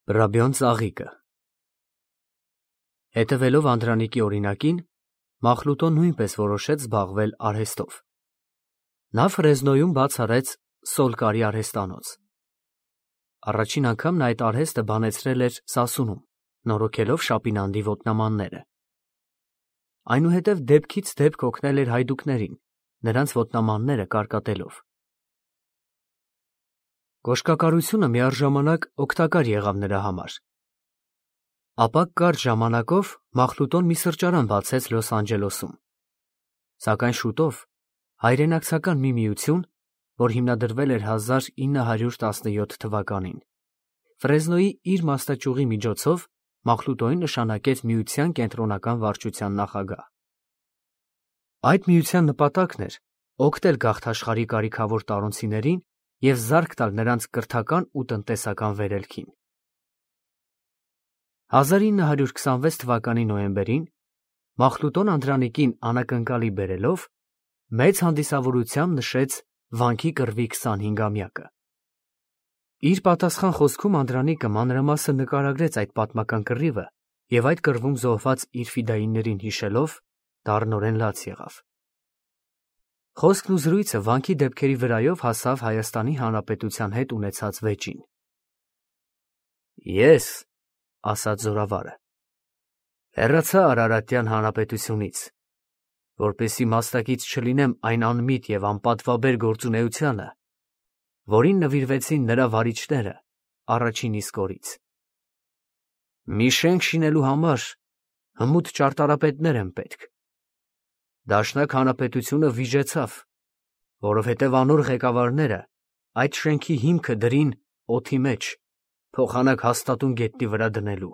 Բրաբյոն ծաղիկը Հետևելով Անդրանիկի օրինակին, Մախլուտոն նույնպես որոշեց զբաղվել արհեստով. նա Ֆրեզնոյում բաց արեց Սոլկարի արհեստանոց։ Առաջին անգամ նա այդ արհեստը բանեցրել էր Սասունում, նորոգելով Շապինանդի ոտնամանները։ Այնուհետև դեպքից դեպք օգնել էր հայդուկներին, նրանց ոտնամանները կարկատելով։ Կոշկակարությունը միառժամանակ օգտակար եղավ նրա համար։ Ապա կարճ ժամանակով Մախլուտոն մի սրճարան բացեց Լոս Անջելեսում, սակայն շուտով հայրենակցական մի միություն, որ հիմնադրվել էր 1917 թվականին, Ֆրեզնոյի իր մասնաճյուղի միջոցով Մախլուտոյին նշանակեց միության կենտրոնական վարչության նախագահ։ Այդ միության նպատակն էր օգնել գաղթաշխարհի կարիքավոր տարոնցիներին և զարկ տալ նրանց կրթական ու տնտեսական վերելքին։ 1926 թվականի նոյեմբերին Մախլուտոն Անդրանիկին անակնկալի բերելով մեծ հանդիսավորությամբ նշեց վանքի կռվի 25-ամյակը։ Իր պատասխան խոսքում Անդրանիկը մանրամասն նկարագրեց այդ պատմական կռիվը և այդ կռվում զոհված իր ֆիդայիներին հիշելով դառնորեն լաց եղավ։ Խոսքն ու զրույցը վանքի դեպքերի վրայով հասավ Հայաստանի Հանրապետության հետ ունեցած վեճին։ Ես, ասաց զորավարը, հեռացա Արարատյան Հանրապետությունից, որպեսզի մասնակից չլինեմ այն անմիտ և անպատվաբեր գործունեությանը, որին նվիրվեցին նրա վարիչները առաջին իսկ օրից։ Մի շենք շինելու համար հմուտ ճարտարապետներ են պետք։ Դաշնակ Հանրապետությունը վիժեցավ, որովհետև անոր ղեկավարները այդ շենքի հիմքը դրին օդի մեջ, փոխանակ հաստատուն գետնի վրա դնելու։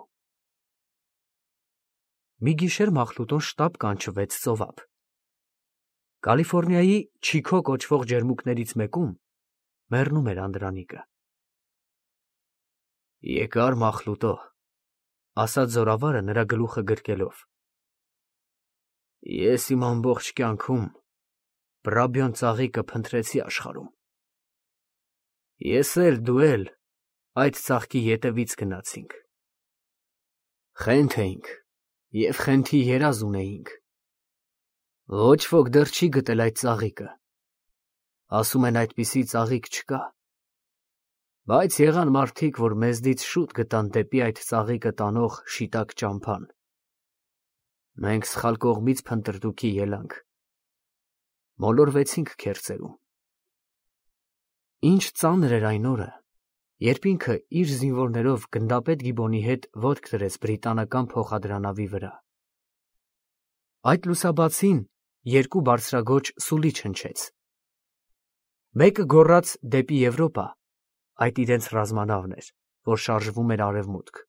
Մի գիշեր Մախլուտոն շտապ կանչվեց ծովափ։ Կալիֆոռնիայի Չիքո կոչվող ջերմուկներից մեկում մեռնում էր Անդրանիկը։ Եկար Մախլուտո, ասաց զորավարը նրա գլուխը գրկելով։ Ես իմ ամբողջ կյանքում Բրաբյոն ծաղիկը փնտրեցի աշխարհում։ Ես էլ, դու էլ այդ ծաղկի ետևից գնացինք։ Խենթ էինք և խենթի երազ ունեինք։ Ոչ ոք դեռ չի գտել այդ ծաղիկը։ Ասում են այդպիսի ծաղիկ չկա։ Բայց եղան մարդիկ, որ մեզնից շուտ գտան դեպի այդ ծաղիկը տանող շիտակ ճամփան։ Մենք սխալ կողմից փնտրտուքի ելանք։ Մոլորվեցինք քերծերում։ Ինչ ծանր էր այն օրը, երբ ինքը իր զինվորներով գնդապետ Գիբոնի հետ ոտք դրեց բրիտանական փոխադրանավի վրա։ Այդ լուսաբացին երկու բարձրագոճ սուլիչ հնչեց։ Մեկը գոռաց դեպի Եվրոպա, այդ իրենց ռազմանավն էր, որ շարժվում էր արևմուտք,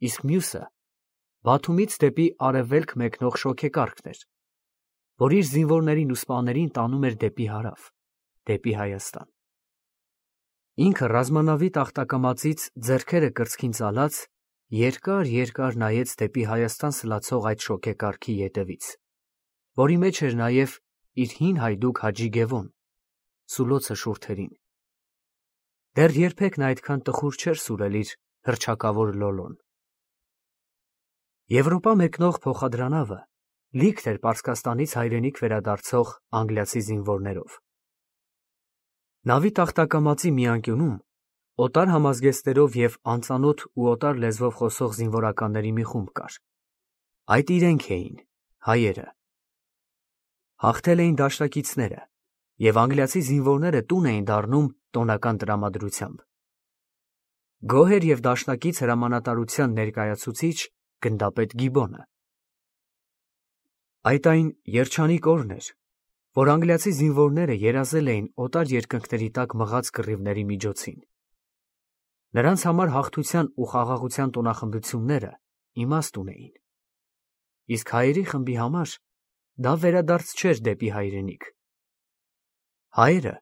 իսկ մյուսը Բաթումից դեպի արևելք մեկնող շոգեկարգն էր, որ իր զինվորներին ու սպաներին տանում էր դեպի հարավ, դեպի Հայաստան։ Ինքը ռազմանավի տախտակամածից ձեռքերը կրծքին ծալած երկար նայեց դեպի Հայաստան սլացող այդ շոգեկարգի ետևից, որի մեջ էր նաև իր հին հայդուկ Հաջի Գևոն, սուլոցը շուրթերին։ Դեռ երբեք նա այդքան տխուր չէր սուրել իր հռչակավոր լոլոն։ Եվրոպա մեկնող փոխադրանավը լիքն էր Պարսկաստանից հայրենիք վերադարձող անգլիացի զինվորներով։ Նավի տախտակամածի մի անկյունում օտար համազգեստերով և անծանոթ ու օտար լեզվով խոսող զինվորականների մի խումբ կար։ Այդ իրենք էին, հայերը։ Հաղթել էին դաշնակիցները, և անգլիացի զինվորները տուն էին դառնում տոնական տրամադրությամբ։ Գոհ էր և դաշնակից հրամանատարության ներկայացուցիչ գնդապետ Գիբոնը։ Այդ այն երջանիկ օրն էր, որ անգլիացի զինվորները երազել էին օտար երկնքների տակ մղած կռիվների միջոցին։ Նրանց համար հաղթության ու խաղաղության տոնախմբությունները իմաստ ունեին։ Իսկ հայերի խմբի համար դա վերադարձ չէր դեպի հայրենիք։ Հայերը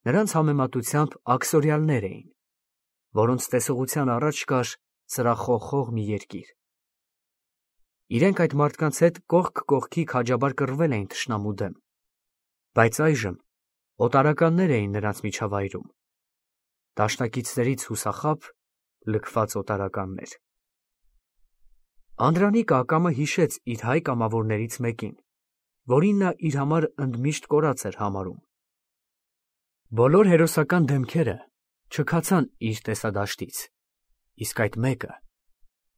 նրանց համեմատությամբ աքսորյալներ էին, որոնց տեսողության առաջ կար սրախողխող մի երկիր։ Իրենք այդ մարդկանց հետ կողք կողքի քաջաբար կռվել էին թշնամու դեմ, բայց այժմ օտարականներ էին նրանց միջավայրում, դաշնակիցներից հուսախաբ, լքված օտարականներ։ Անդրանիկը ակամը հիշեց իր հայ կամավորներից մեկին, որին նա իր համար ընդմիշտ կորած էր համարում։ Բոլոր հերոսական դեմքերը չքացան իր տեսադաշտից, իսկ այդ մեկը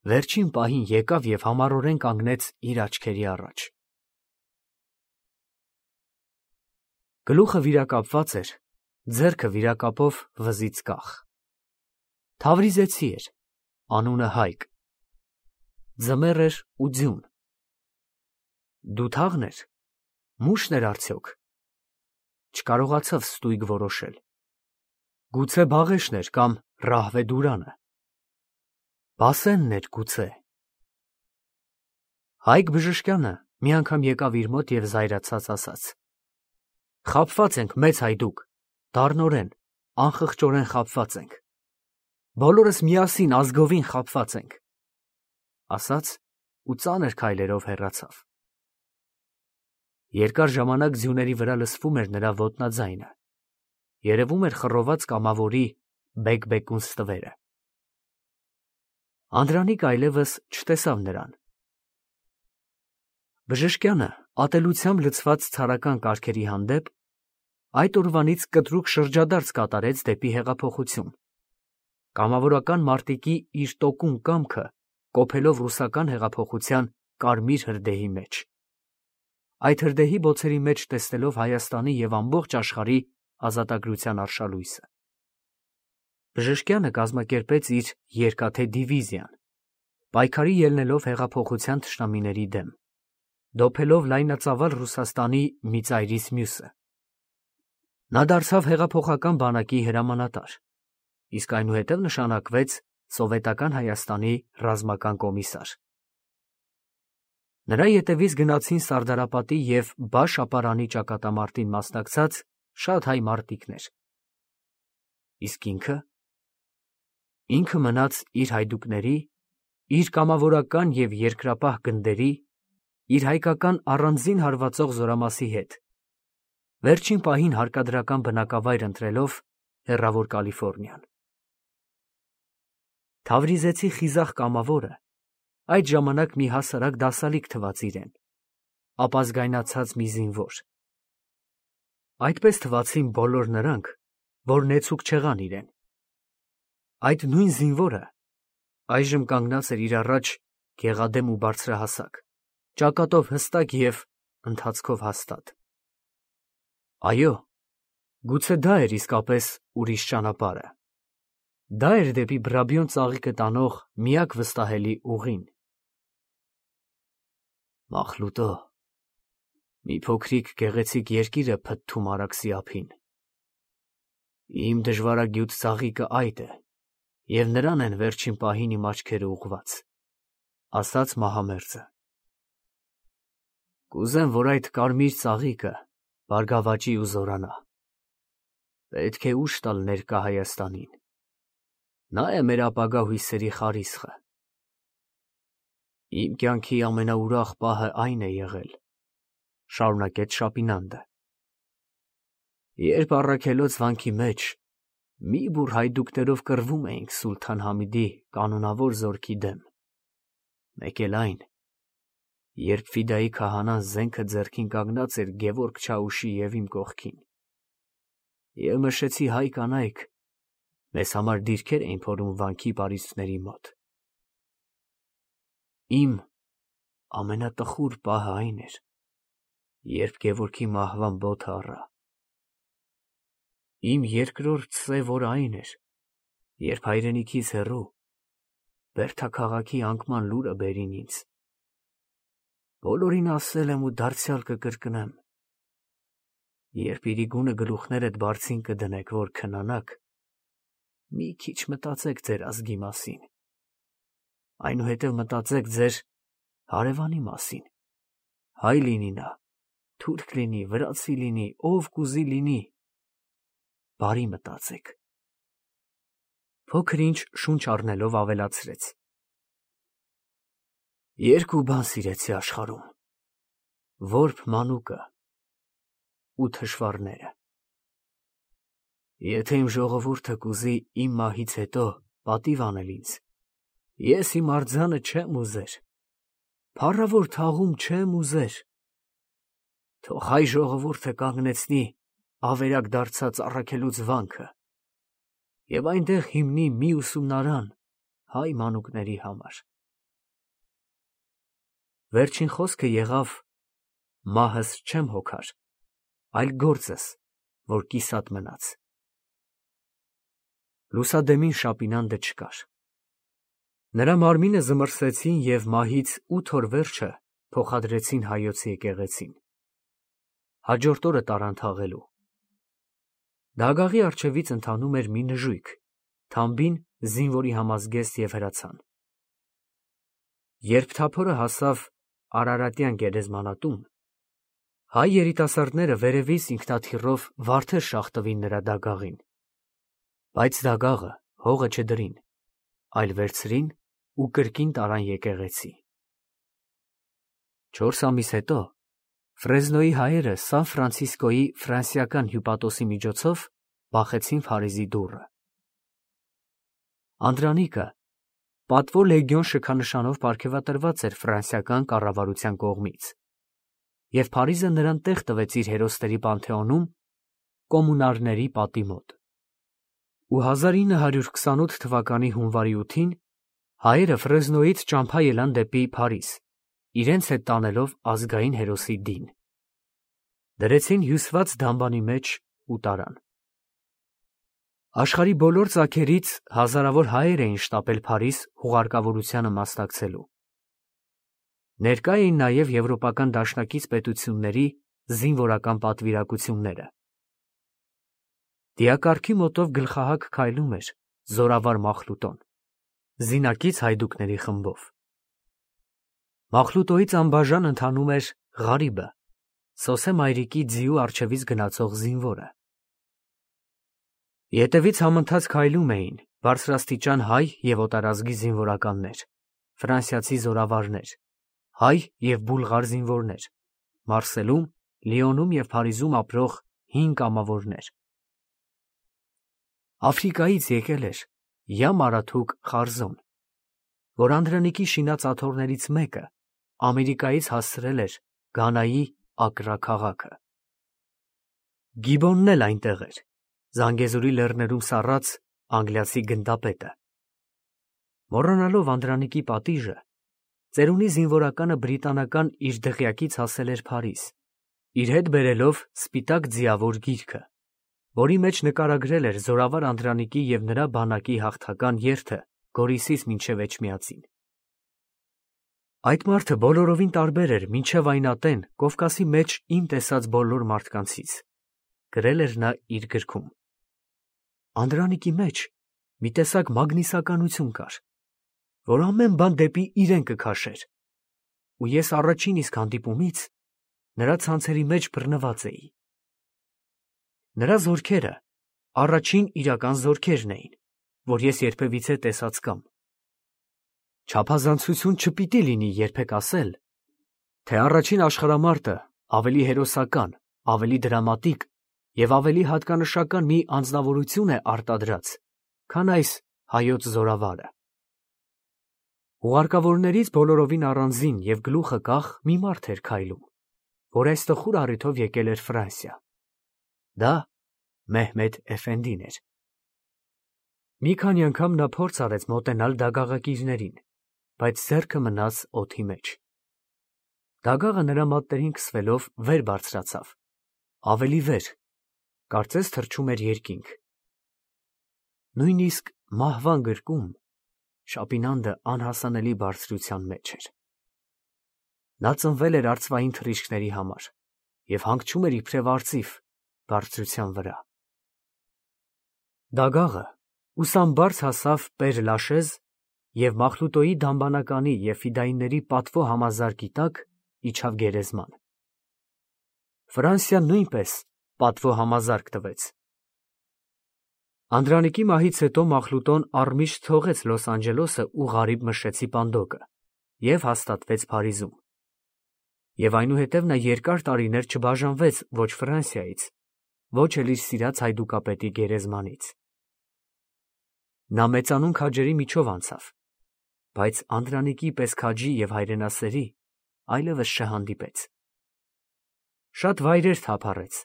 վերջին պահին եկավ և համառորեն կանգնեց իր աչքերի առաջ։ Գլուխը վիրակապված էր, ձեռքը վիրակապով վզից կախ։ Թավրիզեցի էր, անունը Հայկ։ Ձմեռ էր ու ձյուն։ Դութաղն էր, մուշն էր արդյոք։ Չկարողացավ ստույգ որոշել։ Գուցե Բաղեշն էր կամ Ռահվեդուրանը։ Բասենն էր գուցե։ Հայկ Բժշկյանը մի անգամ եկավ իր մոտ և զայրացած ասաց. «Խաբված ենք, մեծ հայդուկ, դառնորեն, անխղճորեն խաբված ենք։ Բոլորս միասին ազգովին խաբված ենք», ասաց ու ծանր քայլերով հեռացավ։ Երկար ժամանակ ձյուների վրա լսվում էր նրա ոտնաձայնը, երևում էր խռոված կամավորի բեկ-բեկուն ստվերը։ Անդրանիկը այլևս չտեսավ նրան։ Բժշկյանը ատելությամբ լցված ցարական կարգերի հանդեպ այդ օրվանից կտրուկ շրջադարձ կատարեց դեպի հեղափոխություն, կամավորական մարտիկի իր տոկուն կամքը կոփելով ռուսական հեղափոխության կարմիր հրդեհի մեջ, այդ հրդեհի բոցերի մեջ տեսնելով Հայաստանի և ամբողջ աշխարհի ազատագրության արշալույսը։ Բժշկյանը կազմակերպեց իր երկաթե դիվիզիան, պայքարի ելնելով հեղափոխության թշնամիների դեմ, դոփելով լայնածավալ Ռուսաստանի մի ծայրից մյուսը։ Նա դարձավ հեղափոխական բանակի հրամանատար, իսկ այնուհետև նշանակվեց Սովետական Հայաստանի ռազմական կոմիսար։ Նրա ետևից գնացին Սարդարապատի և Բաշ ապարանի ճակատամարտին մասնակցած շատ հայ մարտիկներ։ Իսկ ինքը մնաց իր հայդուկների, իր կամավորական և երկրապահ գնդերի, իր հայկական առանձին հարվածող զորամասի հետ, վերջին պահին հարկադրական բնակավայր ընտրելով հեռավոր Կալիֆոռնիան։ Թավրիզեցի խիզախ կամավորը այդ ժամանակ մի հասարակ դասալիկ թվաց իրեն, ապազգայնացած մի զինվոր։ Այդպես թվացին բոլոր նրանք, որ նեցուկ չեղան իրեն։ Այդ նույն զինվորը այժմ կանգնած էր իր առաջ գեղադեմ ու բարձրահասակ, ճակատով հստակ և ընթացքով հաստատ։ Այո, գուցե դա էր իսկապես ուրիշ ճանապարհը։ Դա էր դեպի Բրաբիոն ծաղիկը տանող միակ վստահելի ուղին։ Մախլուտո, մի փոքրիկ գեղեցիկ երկիր է փթթում Արաքսի ափին։ Իմ դժվարագյուտ ծաղիկը այդ է, և նրան են վերջին պահին իմ աչքերը ուղղված, ասաց մահամերձը։ Կուզեմ, որ այդ կարմիր ծաղիկը բարգավաճի ու զորանա։ Պետք է ուժ տալ ներկա Հայաստանին։ Նա է մեր ապագա հույսերի խարիսխը։ Իմ կյանքի ամենաուրախ պահը այն է եղել, շարունակեց Շապինանդը, երբ առաքելոց վանքի մեջ մի բուռ հայդուկներով կռվում էինք Սուլթան Համիդի կանոնավոր զորքի դեմ, մեկ էլ այն, երբ Ֆիդայի քահանան զենքը ձեռքին կանգնած էր Գևորգ Չաուշի և իմ կողքին, և նշեցի հայ կանայք մեզ համար դիրքեր էին փորում վանքի պարիսպների մոտ։ Իմ ամենատխուր պահը այն էր, երբ Գևորգի մահվան բոթը առա։ Իմ երկրորդ սև օրը այն էր, երբ հայրենիքից հեռու Բերդա քաղաքի անկման լուրը բերին ինձ։ Բոլորին ասել եմ ու դարձյալ կկրկնեմ. երբ իրիկունը գլուխներդ բարձին կդնեք, որ քնանաք, մի քիչ մտածեք ձեր ազգի մասին, այնուհետև մտածեք ձեր հարևանի մասին, հայ լինի նա, թուրք լինի, վրացի լինի, ով կուզի լինի, բարի մտածեք։ Փոքր ինչ շունչ առնելով ավելացրեց. երկու բան սիրեցի աշխարհում, որբ մանուկը ու թշվառները։ Եթե իմ ժողովուրդը կուզի իմ մահից հետո պատիվ անել ինձ։ Ես իմ արձանը չեմ ուզեր, փառավոր թաղում չեմ ուզեր։ Թող հայ ժողովուրդը կանգնեցնի ավերակ դարձած առաքելուց վանքը և այնտեղ հիմնի մի ուսումնարան հայ մանուկների համար։ Վերջին խոսքը եղավ. մահս չեմ հոգար, այլ գործս, որ կիսատ մնաց։ Լուսադեմին շապինանդը չկար։ Նրա մարմինը զմռսեցին և մահից 8 օր վերջը փոխադրեցին հայոց եկեղեցին։ Հաջորդ օրը տարան թաղելու։ Դագաղի առջևից ընթանում էր մի նժույգ, թամբին զինվորի համազգեստ և հրացան։ Երբ թափորը հասավ Արարատյան գերեզմանատուն, հայ երիտասարդները վերևից ինքնաթիռով վարդեր շաղտվին նրա դագաղին, բայց դագաղը հողը չդրին, այլ վերցրին ու կրկին տարան եկեղեցի։ 4 ամիս հետո Ֆրեզնոյի հայերը Սան Ֆրանցիսկոյի ֆրանսիական հյուպատոսի միջոցով բախեցին Փարիզի դուռը։ Անդրանիկը պատվո լեգիոն շքանշանով պարգևատրված էր ֆրանսիական կառավարության կողմից, և Փարիզը նրան տեղ տվեց իր հերոսների պանթեոնում կոմունարների պատի մոտ։ Ու 1928 թվականի հունվարի 8-ին հայերը Ֆրեզնոյից ճամփա ելան դեպի Փարիզ, իրենց հետ տանելով ազգային հերոսի դին։ Դրեցին հյուսված դամբանի մեջ ու տարան։ Աշխարհի բոլոր ծագերից հազարավոր հայեր էին շտապել Փարիզ հուղարկավորությանը մասնակցելու։ Ներկա էին նաև եվրոպական դաշնակից պետությունների զինվորական պատվիրակությունները։ Դիակառքի մոտով գլխահակ քայլում էր զորավար Մախլուտոն, զինակից հայդուկների խմբով։ Մախլուտոյից անբաժան ընթանում էր Ղարիբը, Սոսե մայրիկի ձիու առջևից գնացող զինվորը։ Ետևից համընթաց քայլում էին բարձրաստիճան հայ և օտարազգի զինվորականներ, ֆրանսիացի զորավարներ, հայ և բուլղար զինվորներ, Մարսելում, Լիոնում և Փարիզում ապրող հին կամավորներ։ Աֆրիկայից եկել էր Յամ Արաթուկ Խարզոն, որ Անդրանիկի շինած աթոռներից մեկը Ամերիկայից հասցրել էր Գանայի Ակրա քաղաքը։ Գիբոնն էլ այնտեղ էր, Զանգեզուրի լեռներում սառած անգլիացի գնդապետը։ Մոռանալով Անդրանիկի պատիժը, ծերունի զինվորականը բրիտանական իր դղյակից հասել էր Փարիզ, իր հետ բերելով սպիտակ ձիավոր գիրքը, որի մեջ նկարագրել էր զորավար Անդրանիկի և նրա բանակի հաղթական երթը Գորիսից մինչև Էջմիածին։ Այդ մարդը բոլորովին տարբեր էր մինչև այն ատեն Կովկասի մեջ իմ տեսած բոլոր մարդկանցից, գրել էր նա իր գրքում։ Անդրանիկի մեջ մի տեսակ մագնիսականություն կար, որ ամեն բան դեպի իրեն կքաշեր, ու ես առաջին իսկ հանդիպումից նրա ցանցերի մեջ բռնված էի։ Նրա զորքերը առաջին իրական զորքերն էին, որ ես երբևիցե տեսած կամ։ Չափազանցություն չպիտի լինի երբեք ասել, թե առաջին աշխարհամարտը ավելի հերոսական, ավելի դրամատիկ և ավելի հատկանշական մի անձնավորություն է արտադրած, քան այս հայոց զորավարը։ Ուղարկավորներից բոլորովին առանձին և գլուխը կախ մի մարդ էր քայլում, որ այս տխուր առիթով եկել էր Ֆրանսիա։ Դա Մեհմեդ Էֆենդին էր։ Մի քանի անգամ նա փորձ արեց մոտենալ դագաղակիրներին, բայց ձեռքը մնաց օդի մեջ։ Դագաղը նրա մատներին քսվելով վեր բարձրացավ, ավելի վեր, կարծես թռչում էր երկինք։ Նույնիսկ մահվան գրկում շապինանդը անհասանելի բարձրության մեջ էր։ Նա ծնվել էր արծվային թռիչքների համար և հանգչում էր իբրև արծիվ բարձրության վրա։ Դագաղը ուսամբարձ հասավ Պեր-Լաշեզ և Մախլուտոյի դամբանականի և ֆիդայինների պատվո համազարկի տակ իջավ գերեզման։ Ֆրանսիան նույնպես պատվո համազարկ տվեց։ Անդրանիկի մահից հետո Մախլուտոն առմիշտ թողեց Լոս Անջելեսը ու Ղարիբ Մշեցի պանդոկը և հաստատվեց Փարիզում։ Եվ այնուհետև նա երկար տարիներ չբաժանվեց ոչ Ֆրանսիայից, ոչ էլ իր սիրած հայդուկապետի գերեզմանից։ Նա մեծանուն քաջերի միջով անցավ, բայց Անդրանիկի պես քաջի և հայրենասերի այլևս չհանդիպեց։ Շատ վայրեր թափառեց,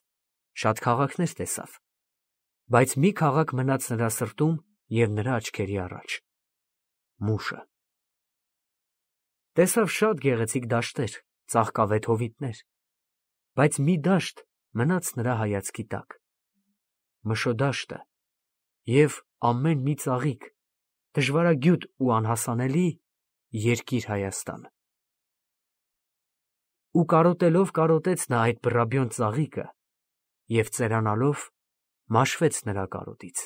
շատ քաղաքներ տեսավ, բայց մի քաղաք մնաց նրա սրտում և նրա աչքերի առաջ՝ Մուշը։ Տեսավ շատ գեղեցիկ դաշտեր, ծաղկավետ հովիտներ, բայց մի դաշտ մնաց նրա հայացքի տակ՝ Մշո դաշտը և ամեն մի ծաղիկ, դժվարագյուտ ու անհասանելի երկիր Հայաստանը։ Ու կարոտելով կարոտեց նա այդ բռաբյոն ծաղիկը և ծերանալով մաշվեց նրա կարոտից։